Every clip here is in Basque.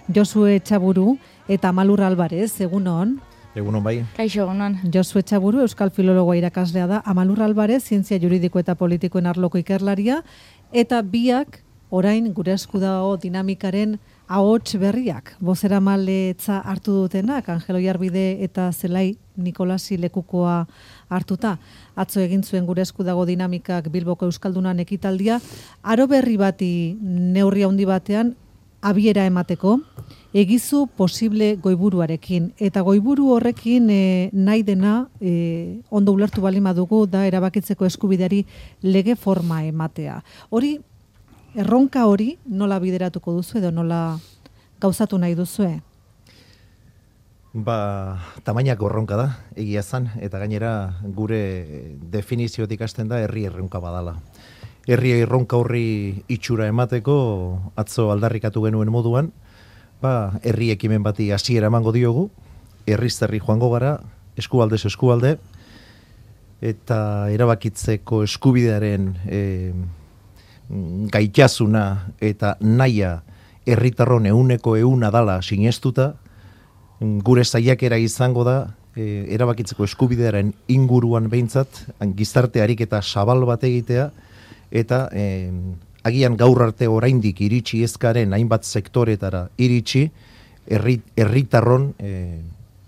Josue Etxaburu eta Amalur Alvarez, egunon. Egunon bai. Kaixo, egunon. Josue Etxaburu, Euskal Filologoa irakaslea da, Amalur Alvarez, zientzia juridiko eta politikoen arloko ikerlaria, eta biak orain gure esku dago dinamikaren ahots berriak. Bozeramaletza hartu dutenak, Angelo Jarbide eta Zelai Nikolasi lekukoa hartuta. Atzo egin zuen gure esku dago dinamikak Bilboko Euskaldunan ekitaldia, aro berri bati neurri handi batean abiera emateko, egizu posible goiburuarekin. Eta goiburu horrekin nahi dena, ondo ulertu baldin badugu, da erabakitzeko eskubideari lege forma ematea. Hori, erronka hori nola bideratuko duzu edo nola gauzatu nahi duzue? Tamainako erronka da, egia zan, eta gainera gure definiziotik hasten da herri erronka badala. Herri erronka horri itxura emateko, atzo aldarrikatu genuen moduan, herri ekimen bati hasiera emango diogu, herri joango gara, eskualdez eskualde, eta erabakitzeko eskubidearen gaitasuna eta naia herritarron 100% dala sinestuta, gure saiakera izango da erabakitzeko eskubidearen inguruan behintzat, gizarte ariketa zabal bat egitea, eta agian gaur arte oraindik iritsi ezkaren hainbat sektoretara iritsi, herritarron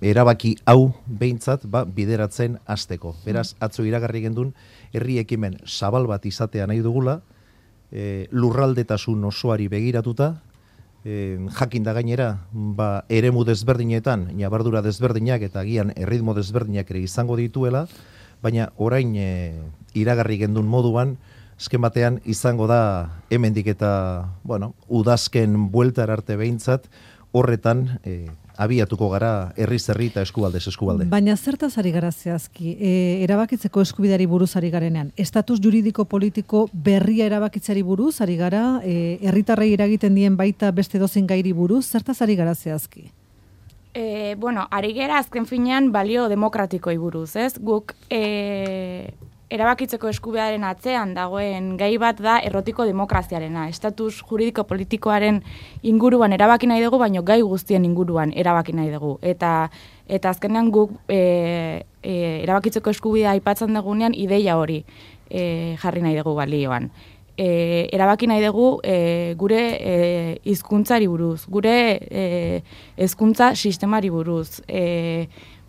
erabaki hau behintzat bideratzen hasteko. Beraz, atzo iragarri gendun, herri ekimen zabal bat izatea nahi dugula, lurraldetasun osoari begiratuta, jakin da gainera, eremu desberdinetan, nabardura desberdinak eta agian erritmo desberdinak ere izango dituela, baina orain iragarri gendun moduan, azken batean izango da hemendik eta, udazken bueltar arte behintzat, horretan abiatuko gara herri eta eskualdez eskualde. Baina zertaz ari gara zehazki, erabakitzeko eskubideari buruz ari garenean, estatus juridiko politiko berria erabakitzeari buruz ari gara, herritarrei eragiten dien baita beste dozein gairi buruz, zertaz ari gara zehazki? Ari gara azken finean balio demokratikoi buruz, ez? Guk erabakitzeko eskubidearen atzean dagoen gai bat da errotiko demokraziarena. Estatus juridiko politikoaren inguruan erabaki nahi dugu, baino gai guztien inguruan erabaki nahi dugu. Eta azkenean guk erabakitzeko eskubidea aipatzen dugunean ideia hori jarri nahi dugu balioan. Erabaki nahi dugu gure hizkuntzari buruz, gure hezkuntza sistemari buruz,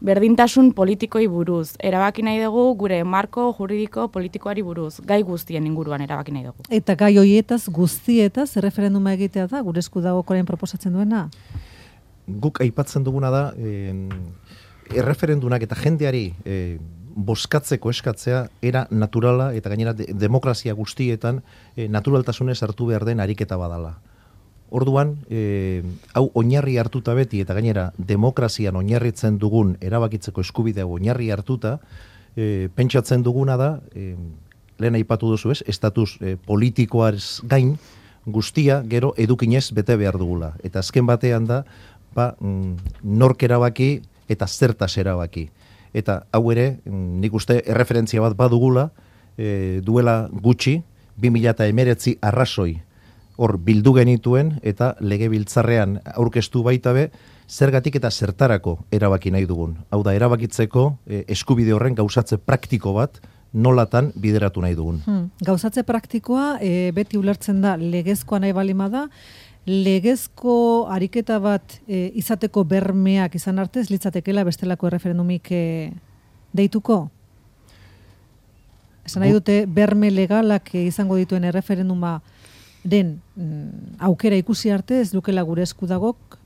berdintasun politikoi buruz, erabaki nahi dugu gure marko juridiko politikoari buruz, gai guztien inguruan erabaki nahi dugu. Eta gai horietaz guztietaz erreferenduma egitea da, gure esku dago koren proposatzen duena? Guk aipatzen duguna da, erreferendunak eta jendeari bozkatzeko eskatzea era naturala eta gainera demokrazia guztietan naturaltasunez hartu behar den ariketa badala. Orduan, hau oinarri hartuta beti eta gainera demokrazian oinarritzen dugun erabakitzeko eskubidea oinarri hartuta, pentsatzen duguna da, lehen aipatu duzu ez, estatus politikoaz gain guztia gero edukinez bete behar dugula. Eta azken batean da, nork erabaki eta zertaz erabaki. Eta hau ere, nik uste erreferentzia bat badugula, duela gutxi, 2019 arrazoi hor bildu genituen eta legebiltzarrean aurkeztu baita be, zergatik eta zertarako erabaki nahi dugun. Hau da, erabakitzeko eskubide horren gauzatze praktiko bat nolatan bideratu nahi dugun. Gauzatze praktikoa beti ulertzen da legezkoa nahi balima da, legezko ariketa bat izateko bermeak izan arte ez litzatekela bestelako erreferendumik deituko? Esan nahi dute berme legalak izango dituen erreferenduma den aukera ikusi arte ez dukela gure eskudagok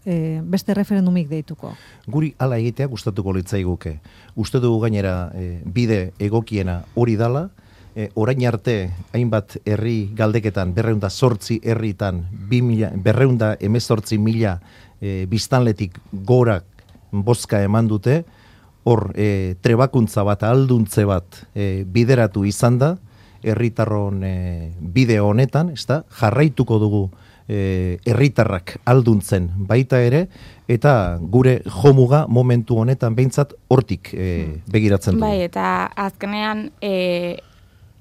beste referendumik deituko. Guri hala egitea gustatuko litzaiguke. Uste dugu gainera bide egokiena hori dala, orain arte hainbat herri galdeketan 208 herritan 218.000 biztanletik gorak bozka eman dute, hor trebakuntza bat, alduntze bat bideratu izan da, herritarron bideo honetan, jarraituko dugu herritarrak alduntzen baita ere, eta gure jomuga momentu honetan behintzat hortik begiratzen dugu. Bai, eta azkenean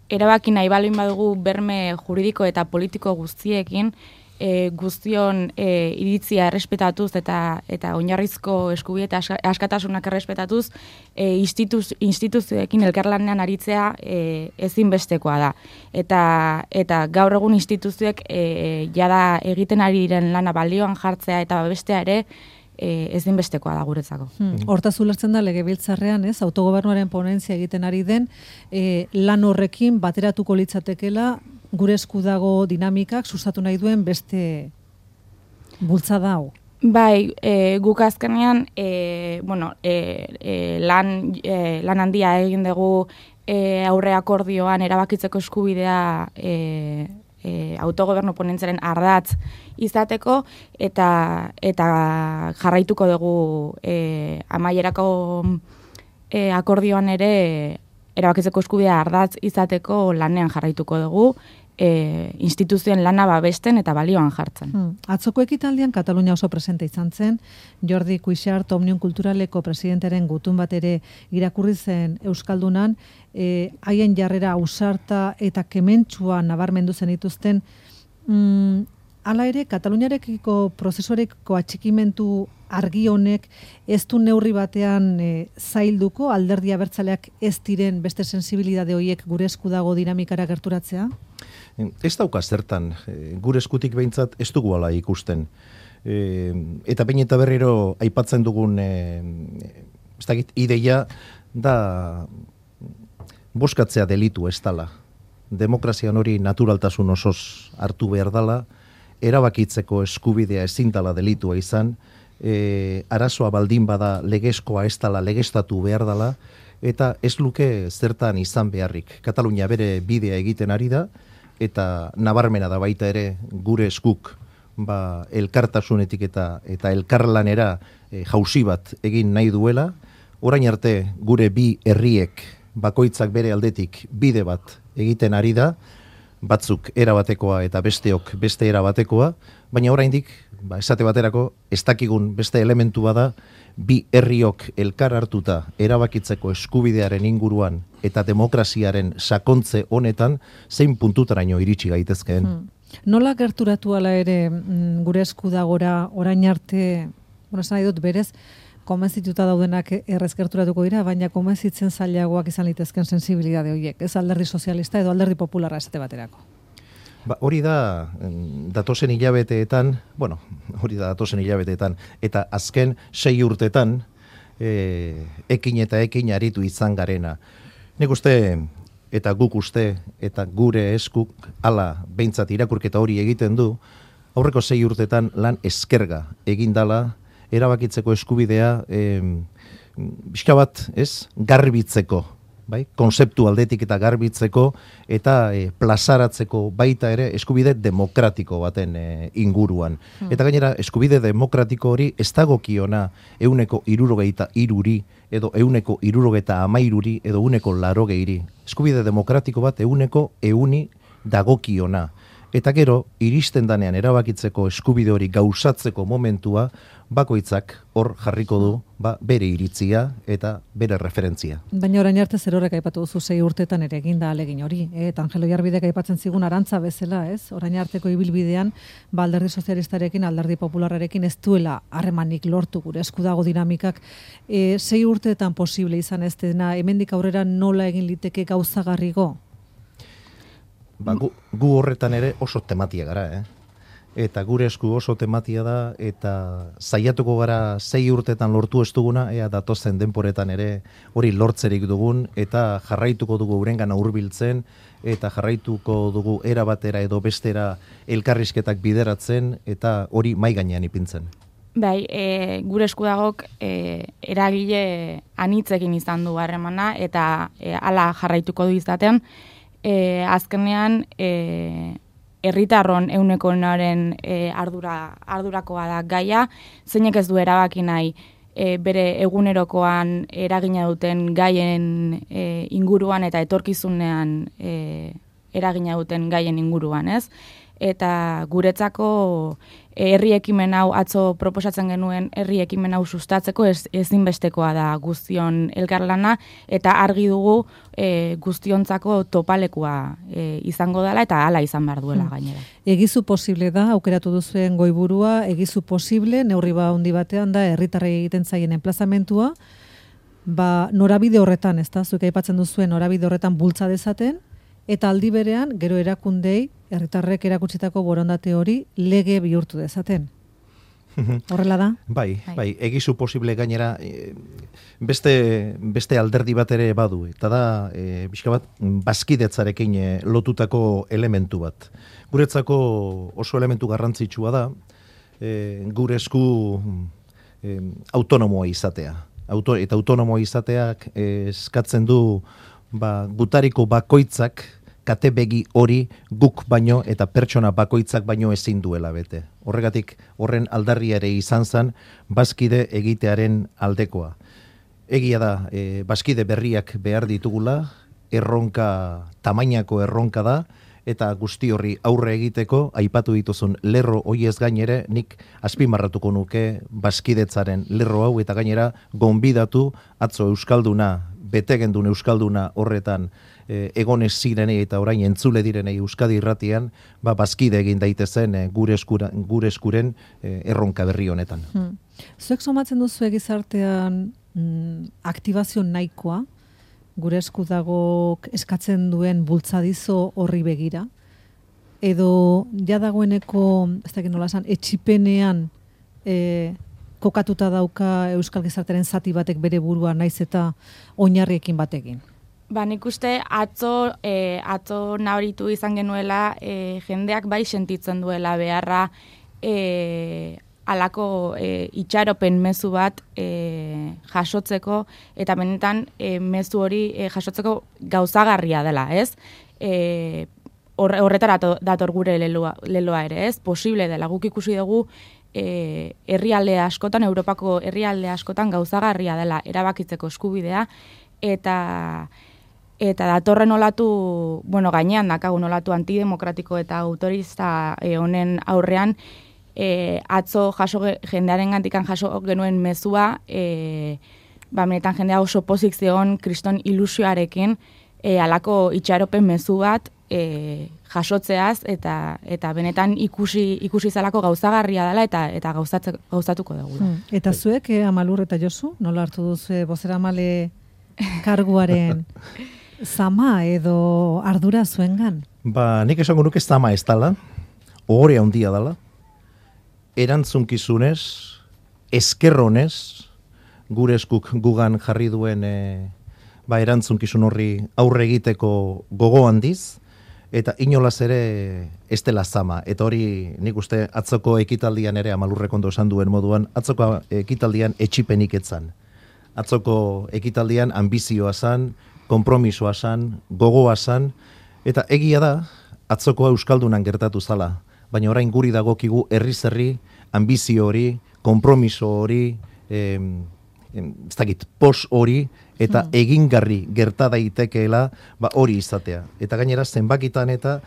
erabaki nahi balin badugu berme juridiko eta politiko guztiekin, guztion iritzia errespetatuz eta oinarrizko eskubide eta askatasunak errespetatuz instituzioekin elkarlanean aritzea ezinbestekoa da. Eta gaur egun instituzioek jada egiten ari diren lana balioan jartzea eta bestea ere ezinbestekoa da guretzako. Hortaz ulertzen da legebiltzarrean, ez, autogobernuaren ponentzia egiten ari den, lan horrekin bateratuko litzatekela gure esku dago dinamikak sustatu nahi duen beste bultzada hau. Bai, guk azkenean, lan handia egin dugu aurre akordioan erabakitzeko eskubidea autogobernu ponentziaren ardatz izateko eta jarraituko dugu amaierako akordioan ere erabakitzeko eskubidea ardatz izateko lanean jarraituko dugu instituzioen lana babesten eta balioan jartzen. Atzoko ekitaldian Katalunia oso presente izan zen, Jordi Cuixart Omnium Kulturaleko presidentaren gutun bat ere irakurri zen Euskaldunan, haien jarrera ausarta eta kementsua nabarmendu zen dituzten, hala ere, Kataluniarekiko prozesuarekiko atxikimentu argi honek ez du neurri batean zailduko alderdi abertzaleak ez diren beste sensibilidade horiek gure esku dago dinamikara gerturatzea? Ez dauka zertan, gure eskutik behintzat ez dugu ala ikusten. Eta behin eta berriro aipatzen dugun ideia da boskatzea delitu ez dala. Demokrazian hori naturaltasun osoz hartu behar dala, erabakitzeko eskubidea ezin dala delitua izan, arazoa baldin bada legezkoa ez dala legeztatu behar dala, eta ez luke zertan izan beharrik. Katalunia bere bidea egiten ari da, eta nabarmena da baita ere gure eskuk elkartasunetik eta elkarlanera jauzi bat egin nahi duela. Orain arte gure bi herriek bakoitzak bere aldetik bide bat egiten ari da, batzuk erabatekoa eta besteok beste erabatekoa, baina oraindik esate baterako ez dakigun beste elementu bada bi herriok elkar hartuta erabakitzeko eskubidearen inguruan eta demokraziaren sakontze honetan zein puntutaraino iritsi gaitezkeen. Nola gerturatu ala ere gure esku dagora orain arte, esan nahi dut berez, konbentzituta daudenak errez gerturatuko dira, baina konbentzitzen zailagoak izan litezken sensibilidade horiek, ez alderdi sozialista edo alderdi popularra esate baterako. Hori da datozen hilabeteetan, eta azken 6 urtetan ekin eta ekin aritu izan garena. Nik uste, eta guk uste, eta gure eskuk ala behintzat irakurketa hori egiten du, aurreko 6 urtetan lan eskerga egin dala, erabakitzeko eskubidea pixka bat, garbitzeko, bai? Konzeptu aldetik eta garbitzeko eta plazaratzeko baita ere eskubide demokratiko baten inguruan. Eta gainera, eskubide demokratiko hori ez dagokiona 163 edo 163 edo 180. Eskubide demokratiko bat 100 dagokiona. Eta gero, iristen danean erabakitzeko eskubide hori gauzatzeko momentua, bakoitzak hor jarriko du bere iritzia eta bere referentzia. Baina orain arte zer horrek aipatu duzu 6 urtetan ere eginda alegin hori. Eta Angelo Jarbidek aipatzen zigun arantza bezala, ez? Orain arteko ibilbidean, alderdi sozialistarekin, alderdi popularrarekin ez duela harremanik lortu gure esku dago dinamikak. 6 urteetan posible izan ez dena, hemendik aurrera nola egin liteke gauzagarrigo? Gu horretan ere oso tematia gara, Eta gure esku oso tematia da, eta saiatuko gara 6 urtetan lortu ez duguna, ea datozen denporetan ere hori lortzerik dugun, eta jarraituko dugu urengana hurbiltzen, eta jarraituko dugu era batera edo bestera elkarrizketak bideratzen, eta hori mai gainean ipintzen. Bai, gure eskudagok eragile anitzekin izan du harremana, eta hala jarraituko du izaten, azkenean herritarron ehunekoaren ardurakoa da gaia, zeinek ez du erabaki nahi bere egunerokoan eragina duten gaien inguruan eta etorkizunean eragina duten gaien inguruan, ez? eta guretzako herri ekimen hau atzo proposatzen genuen herri ekimen hau sustatzeko ezinbestekoa da guztion elkarlana eta argi dugu guztiontzako topalekua izango dela eta hala izan behar duela gainera. Egizu posible da, aukeratu duzuen goiburua, egizu posible, neurri handi batean da herritarrei egiten zaien enplazamentua, norabide horretan, ez da, zuek aipatzen duzuen norabide horretan bultza dezaten, eta aldi berean, gero erakundei, herritarrek erakutsitako borondate hori lege bihurtu dezaten. Horrela da? Bai, egizu posible gainera beste alderdi bat ere badu, eta da, pixka bat, bazkidetzarekin lotutako elementu bat. Guretzako oso elementu garrantzitsua da, gure esku autonomoa izatea. Eta autonomoa izateak eskatzen du gutariko bakoitzak kate begi hori guk baino eta pertsona bakoitzak baino ezin duela bete. Horregatik horren aldarria ere izan zen bazkide egitearen aldekoa. Egia da, bazkide berriak behar ditugula, tamainako erronka da, eta guzti horri aurre egiteko, aipatu dituzun lerro hoiez gainere, nik azpimarratuko nuke bazkidetzaren lerro hau, eta gainera gonbidatu atzo euskalduna, betegendun euskalduna horretan egonez zirenei eta orain entzule direnei Euskadi Irratian, bazkide egin daitezen gure eskuren erronka berri honetan. Zuek somatzen duzu gizartean aktibazio nahikoa, gure esku dago eskatzen duen bultzadizo horri begira, edo ja dagoeneko, ez dakit nola esan, etxipenean kokatuta dauka euskal gizartearen zati batek bere burua naiz eta oinarriekin batekin. Nik uste atzo nabaritu izan genuela jendeak bai sentitzen duela beharra alako itxaropen mezu bat jasotzeko eta benetan mezu hori jasotzeko gauzagarria dela, ez? Horretara dator gure leloa ere, ez? Posible dela, guk ikusi dugu herrialde askotan, Europako herrialde askotan gauzagarria dela erabakitzeko eskubidea eta datorren olatu, gainean dakagun olatu antidemokratiko eta autorista honen aurrean atzo jendearen gantikan jaso genuen mezua, benetan jendea oso pozik zegoen kriston ilusioarekin alako itxaropen mezu bat jasotzeaz eta benetan ikusi zalako gauzagarria dela eta gauzatuko dugu. Eta zuek, Amalur eta Josu, nola hartu duzu bozeramale karguaren zama edo ardura zuengan? Nik esango nuke zama ez dala, ohore handia dala, erantzunkizunez, eskerronez, gure eskuk gugan jarri duen erantzunkizun horri aurre egiteko gogo handiz, eta inolaz ere ez dela zama. Eta hori nik uste atzoko ekitaldian ere, Amalurrek ondo esan duen moduan, atzoko ekitaldian etxipenik etzan. Atzoko ekitaldian ambizioa zan, konpromisoa zan, gogoa zan, eta egia da, atzoko euskaldunan gertatu zala. Baina orain guri dagokigu herri ambizio hori, konpromiso hori, ez dakit, pos hori, eta egingarri gerta daitekeela hori izatea. Eta gainera zenbakitan eta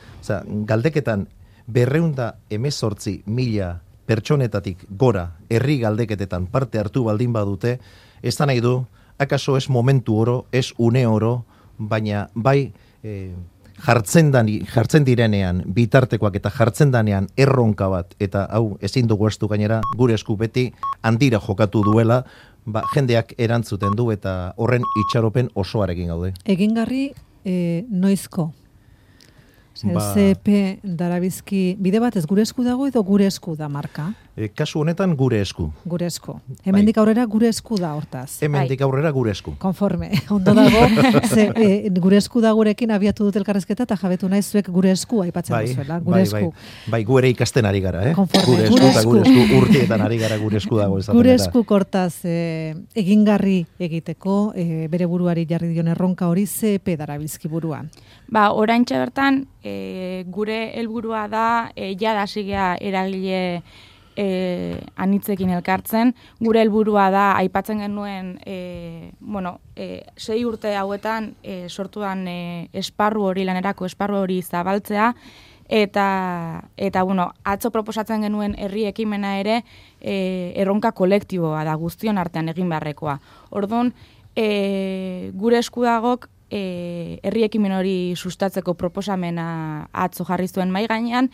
galdeketan 218.000 pertsonetatik gora herri galdeketetan parte hartu baldin badute, ez da nahi du, akaso ez momentu oro, ez une oro, baina bai jartzen direnean bitartekoak eta jartzen danean erronka bat, eta hau ezin dugu estu gainera, gure esku beti handira jokatu duela, jendeak erantzuten du eta horren itxaropen osoarekin gaude. Egingarri noizko? CP darabizki, bide bat ez gure esku dago edo gure esku da marka? Kasu honetan gure esku. Gure esku. Hemendik aurrera gure esku da hortaz. Hemendik aurrera gure esku. Konforme. Ondo dago, gure esku da gurekin abiatu dut elkarrezketa eta jabetu nahi zuek gure esku aipatzen duzuela. Gure esku. Bai, gu ere ikasten ari gara, Konforme. Gure esku urtietan ari gara gure esku dago. Gure esku kortaz egingarri egiteko, bere buruari jarri dion erronka hori CP darabizki buruan. Oraintxe bertan, gure helburua da, jada sigea eragile anitzekin elkartzen. Gure helburua da, aipatzen genuen, 6 urte hauetan sortuan esparru hori, lanerako esparru hori zabaltzea, Eta bueno, atzo proposatzen genuen herri ekimena ere erronka kolektiboa da guztion artean egin beharrekoa. Orduan, gure eskudagok herri ekimen hori sustatzeko proposamena atzo jarri zuen mahai gainean,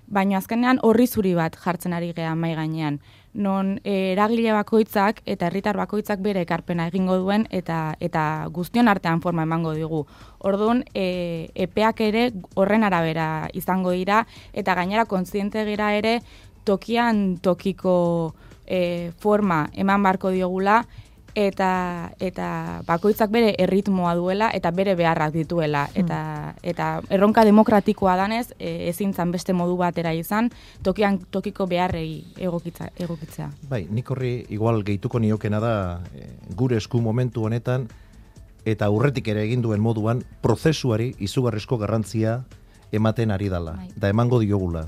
baina azkenean horri zuri bat jartzen ari gea mahai gainean. Non eragile bakoitzak eta herritar bakoitzak bere ekarpena egingo duen eta guztion artean forma emango digu. Orduan, epeak ere horren arabera izango dira eta gainera kontziente gira ere tokian tokiko forma eman barko diogula eta bakoitzak bere erritmoa duela eta bere beharrak dituela. Eta erronka demokratikoa danez, ezin zan beste modu batera izan, tokian tokiko beharrei egokitzea. Bai, nik horri igual gehituko niokena da gure esku momentu honetan eta aurretik ere egin duen moduan prozesuari izugarrizko garrantzia ematen ari dala. Bai. Da emango diogula.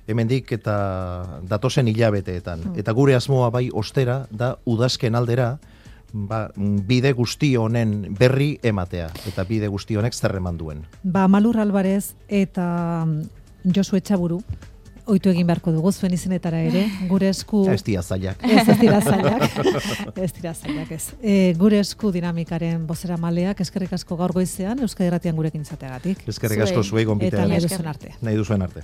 Hemendik eta datozen hilabeteetan. Eta gure asmoa bai ostera da udazken aldera bide guzti honen berri ematea, eta bide guzti honek zer eman duen. Malur Alvarez eta Josu Etxaburu, ohitu egin beharko dugu zuen izenetara ere, gure esku... Ez dira zailak. Ez dira zailak. Gure esku dinamikaren bozera maleak, eskerrik asko gaur goizean, Euskadi Irratian gurekin izateagatik. Eskerrik asko zuei gonbitea. Eta nahi duzuen arte. Nahi duzuen arte.